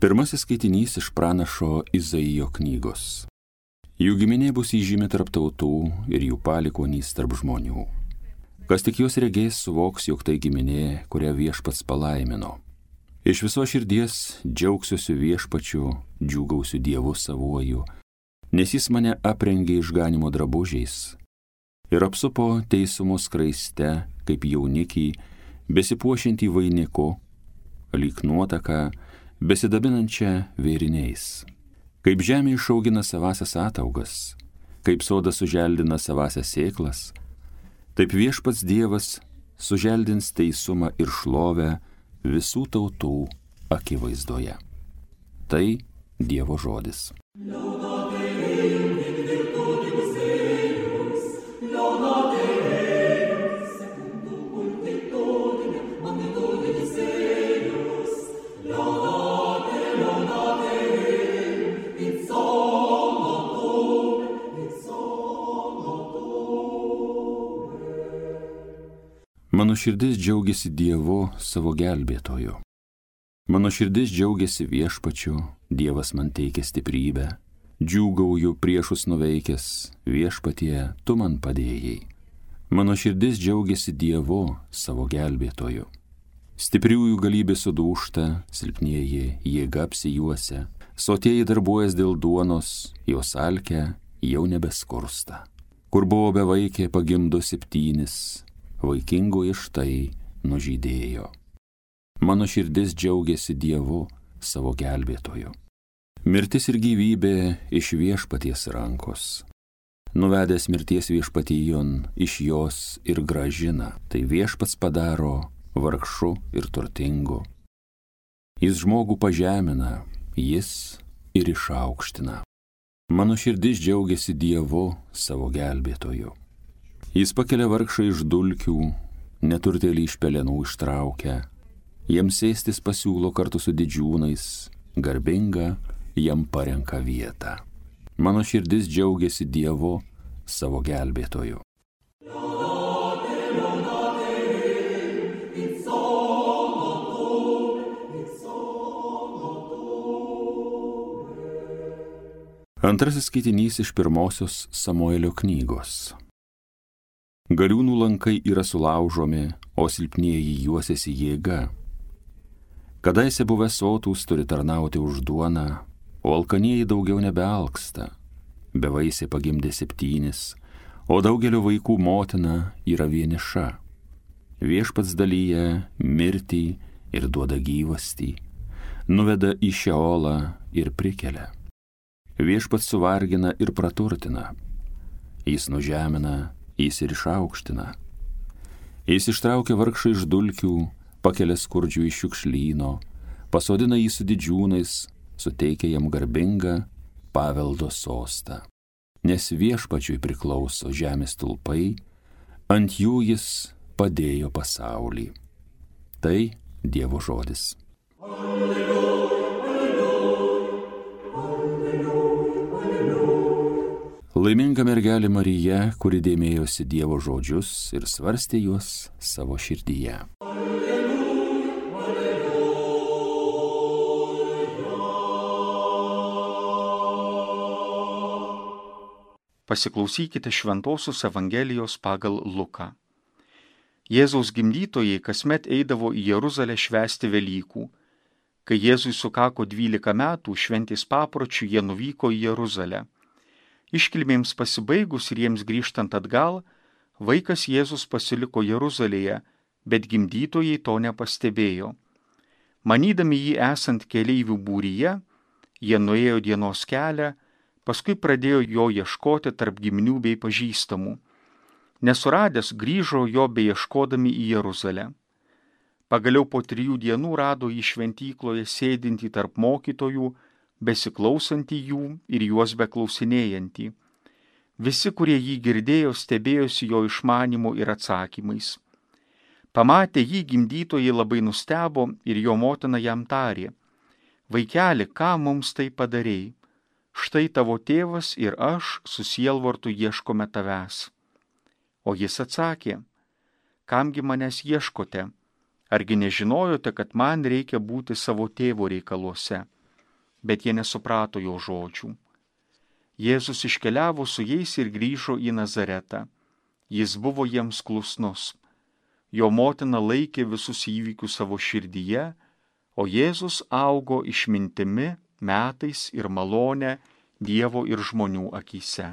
Pirmasis skaitinys iš pranašo Izaijo knygos. Jų giminė bus įžymi tarp tautų ir jų palikuonys tarp žmonių. Kas tik juos regės, suvoks, jog tai giminė, kurią Viešpats palaimino. Iš viso širdies džiaugsiuosi Viešpačiu, džiūgausiu Dievu savuoju, nes jis mane aprengė išganimo drabužiais ir apsupo teisumo skraiste, kaip jaunikį, besipuošiantį vainiku, lyg nuotaka, besidabinančią vėriniais. Kaip žemė išaugina savasias ataugas, kaip sodas suželdina savasias sėklas, taip Viešpats Dievas suželdins teisumą ir šlovę visų tautų akivaizdoje. Tai Dievo žodis. Mano širdis džiaugiasi Dievu savo gelbėtoju. Mano širdis džiaugiasi Viešpačiu, Dievas man teikia stiprybę. Džiūgauju priešus nuveikęs, Viešpatie, tu man padėjai. Mano širdis džiaugiasi Dievu savo gelbėtoju. Stipriųjų galybė sudūžta, silpnieji jėga apsijuosia, sotieji darbuojas dėl duonos, jos alkę jau nebeskursta. Kur buvo bevaikė, pagimdo 7, vaikingoji štai nužydėjo. Mano širdis džiaugiasi Dievu savo gelbėtoju. Mirtis ir gyvybė iš Viešpaties rankos. Nuvedęs mirties Viešpatijon, iš jos ir grąžina, tai Viešpats padaro vargšu ir turtingu. Jis žmogų pažemina, jis ir išaukština. Mano širdis džiaugiasi Dievu savo gelbėtoju. Jis pakelia vargšą iš dulkių, neturtėlį iš pelenų ištraukia, jiems sėstis pasiūlo kartu su didžiūnais, garbinga jam parenka vietą. Mano širdis džiaugiasi Dievu savo gelbėtoju. Antrasis skaitinys iš pirmosios Samuelio knygos. Galiūnų lankai yra sulaužomi, o silpnieji juosiasi jėga. Kadaise buvę sotūs turi tarnauti už duoną, o alkanieji daugiau nebealksta. Bevaisė pagimdė 7, o daugelio vaikų motina yra vieniša. Viešpats dalyja mirtį ir duoda gyvastį, nuveda į Šeolą ir prikelia. Viešpats suvargina ir praturtina, jis nužemina, jis ir išaukština. Jis ištraukia vargšą iš dulkių, pakelia skurdžių iš šiukšlyno, pasodina jį su didžiūnais, suteikia jam garbingą paveldo sostą. Nes Viešpačiui priklauso žemės stulpai, ant jų jis padėjo pasaulį. Tai Dievo žodis. Laiminga mergelė Marija, kuri dėmėjosi Dievo žodžius ir svarstė juos savo širdyje. Pasiklausykite Šventosios Evangelijos pagal Luką. Jėzaus gimdytojai kasmet eidavo į Jeruzalę švęsti Velykų. Kai Jėzui sukako 12 metų, šventės papročių jie nuvyko į Jeruzalę. Iškilmėms pasibaigus ir jiems grįžtant atgal, vaikas Jėzus pasiliko Jeruzalėje, bet gimdytojai to nepastebėjo. Manydami jį esant keleivių būryje, jie nuėjo dienos kelią, paskui pradėjo jo ieškoti tarp giminių bei pažįstamų. Nesuradęs, grįžo jo beieškodami į Jeruzalę. Pagaliau po 3 dienų rado jį šventykloje sėdintį tarp mokytojų, besiklausantį jų ir juos beklausinėjantį. Visi, kurie jį girdėjo, stebėjosi jo išmanymu ir atsakymais. Pamatę jį, gimdytojai labai nustebo ir jo motina jam tarė: Vaikeli, ką mums tai padarei? Štai tavo tėvas ir aš su sielvartu ieškome tavęs. O jis atsakė: Kamgi manęs ieškote? Argi nežinojote, kad man reikia būti savo tėvo reikaluose? bet jie nesuprato jo žodžių. Jėzus iškeliavo su jais ir grįžo į Nazaretą. Jis buvo jiems klusnus. Jo motina laikė visus įvykius savo širdyje, o Jėzus augo išmintimi, metais ir malone Dievo ir žmonių akyse.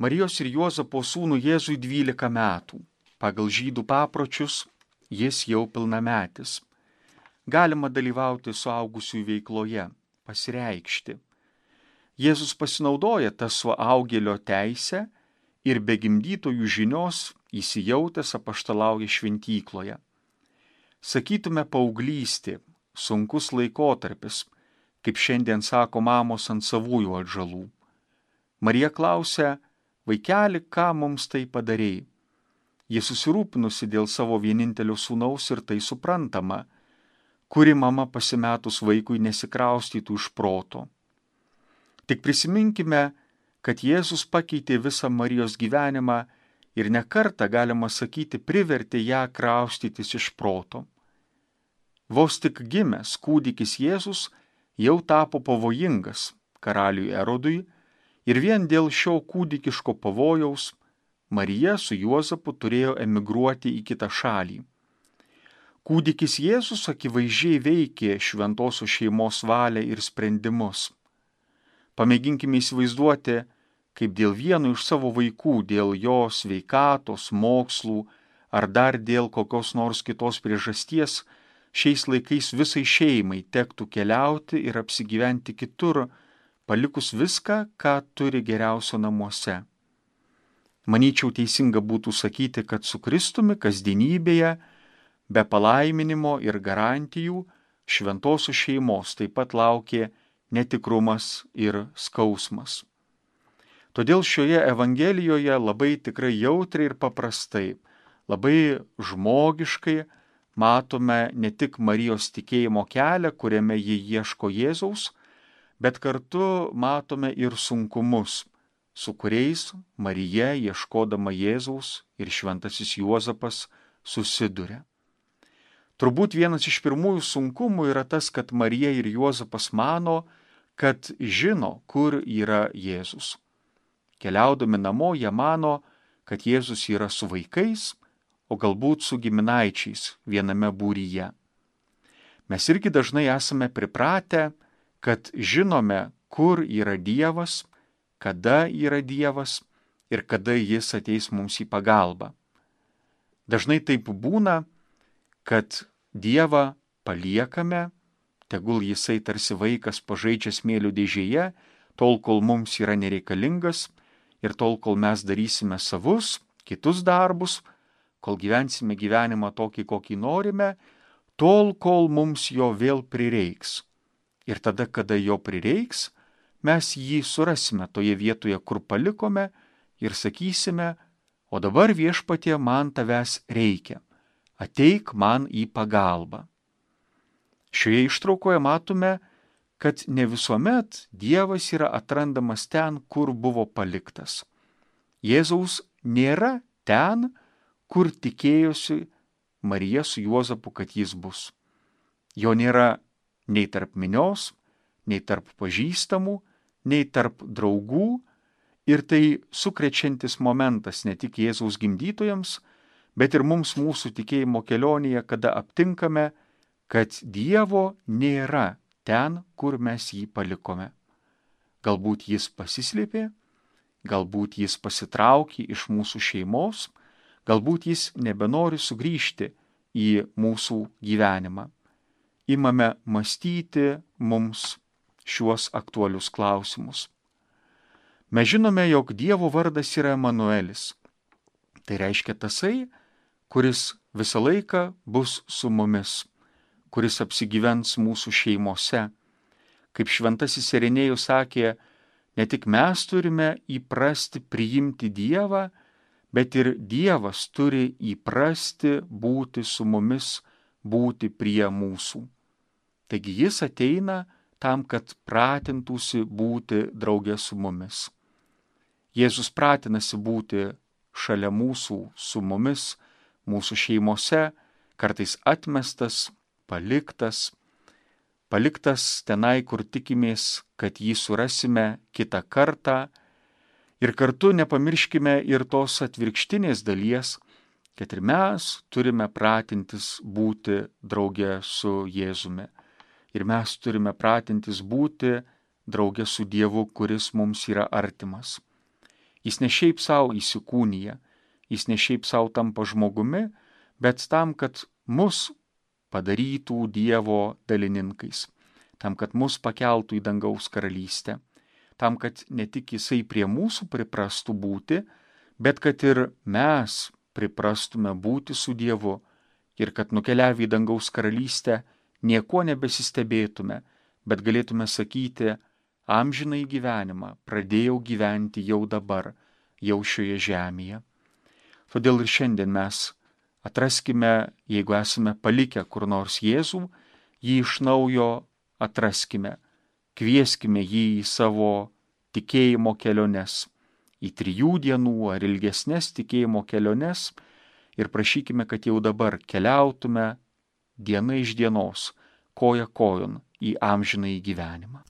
Marijos ir Juozapo sūnų Jėzui 12 metų. Pagal žydų papročius jis jau pilnametis. Galima dalyvauti suaugusiųjų veikloje, pasireikšti. Jėzus pasinaudoja tą suaugėlio teisę ir be gimdytojų žinios įsijautęs apaštalauja šventykloje. Sakytume paauglystė, sunkus laikotarpis, kaip šiandien sako mamos ant savųjų atžalų. Marija klausia, vaikeli, ką mums tai padarei? Ji susirūpinusi dėl savo vienintelio sūnaus ir tai suprantama, kuri mama pasimetus vaikui nesikraustytų iš proto. Tik prisiminkime, kad Jėzus pakeitė visą Marijos gyvenimą ir ne kartą, galima sakyti, privertė ją kraustytis iš proto. Vos tik gimęs kūdikis Jėzus jau tapo pavojingas karaliui Erodui ir vien dėl šio kūdikiško pavojaus Marija su Juozapu turėjo emigruoti į kitą šalį. Kūdikis Jėzus akivaizdžiai veikė šventosios šeimos valią ir sprendimus. Pamėginkime įsivaizduoti, kaip dėl vieno iš savo vaikų, dėl jo sveikatos, mokslų ar dar dėl kokios nors kitos priežasties, šiais laikais visai šeimai tektų keliauti ir apsigyventi kitur, palikus viską, ką turi geriausio namuose. Manyčiau, teisinga būtų sakyti, kad su Kristumi kasdienybėje, be palaiminimo ir garantijų, šventosios šeimos taip pat laukė netikrumas ir skausmas. Todėl šioje Evangelijoje labai tikrai jautriai ir paprastai, labai žmogiškai matome ne tik Marijos tikėjimo kelią, kuriame ji ieško Jėzaus, bet kartu matome ir sunkumus, su kuriais Marija, ieškodama Jėzaus, ir šventasis Juozapas susiduria. Turbūt vienas iš pirmųjų sunkumų yra tas, kad Marija ir Juozapas mano, kad žino, kur yra Jėzus. Keliaudami namo, jie mano, kad Jėzus yra su vaikais, o galbūt su giminaičiais viename būryje. Mes irgi dažnai esame pripratę, kad žinome, kur yra Dievas, kada yra Dievas ir kada Jis ateis mums į pagalbą. Dažnai taip būna, kad Dievą paliekame, tegul Jisai tarsi vaikas pažaidžia smėlių dėžėje, tol, kol mums yra nereikalingas ir tol, kol mes darysime savus, kitus darbus, kol gyvensime gyvenimą tokį, kokį norime, tol, kol mums jo vėl prireiks. Ir tada, kada jo prireiks, mes jį surasime toje vietoje, kur palikome ir sakysime, o dabar Viešpatie man tavęs reikia, ateik man į pagalbą. Šioje ištraukoje matome, kad ne visuomet Dievas yra atrandamas ten, kur buvo paliktas. Jėzaus nėra ten, kur tikėjosi Marija su Juozapu, kad jis bus. Jo nėra nei tarp minios, nei tarp pažįstamų, nei tarp draugų, ir tai sukrečiantis momentas ne tik Jėzaus gimdytojams, bet ir mums mūsų tikėjimo kelionėje, kada aptinkame, kad Dievo nėra ten, kur mes jį palikome. Galbūt jis pasislėpė, galbūt jis pasitraukė iš mūsų šeimos, galbūt jis nebenori sugrįžti į mūsų gyvenimą. Imame mąstyti mums šiuos aktualius klausimus. Mes žinome, jog Dievo vardas yra Emanuelis. Tai reiškia tasai, kuris visą laiką bus su mumis, kuris apsigyvens mūsų šeimose. Kaip šventasis Irenėjus sakė, ne tik mes turime įprasti priimti Dievą, bet ir Dievas turi įprasti būti su mumis, būti prie mūsų. Taigi jis ateina tam, kad pratintųsi būti drauge su mumis. Jėzus pratinasi būti šalia mūsų, su mumis, mūsų šeimose, kartais atmestas, paliktas tenai, kur tikimės, kad jį surasime kitą kartą. Ir kartu nepamirškime ir tos atvirkštinės dalies, kad ir mes turime pratintis būti drauge su Jėzumi. Ir mes turime pratintis būti drauge su Dievu, kuris mums yra artimas. Jis ne šiaip savo įsikūnija, jis ne šiaip savo tampa žmogumi, bet tam, kad mus padarytų Dievo dalininkais, tam, kad mus pakeltų į dangaus karalystę, tam, kad ne tik jisai prie mūsų priprastų būti, bet kad ir mes priprastume būti su Dievu ir kad nukeliavę į dangaus karalystę nieko nebesistebėtume, bet galėtume sakyti, amžinai gyvenimą pradėjau gyventi jau dabar, jau šioje žemėje. Todėl ir šiandien mes atraskime, jeigu esame palikę kur nors Jėzų, jį iš naujo atraskime, kvieskime jį į savo tikėjimo keliones, į 3 dienų ar ilgesnės tikėjimo keliones ir prašykime, kad jau dabar keliautume diena iš dienos, koja kojon į amžinąjį gyvenimą.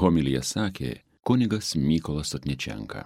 Homiliją sakė kunigas Mykolas Sotničenka.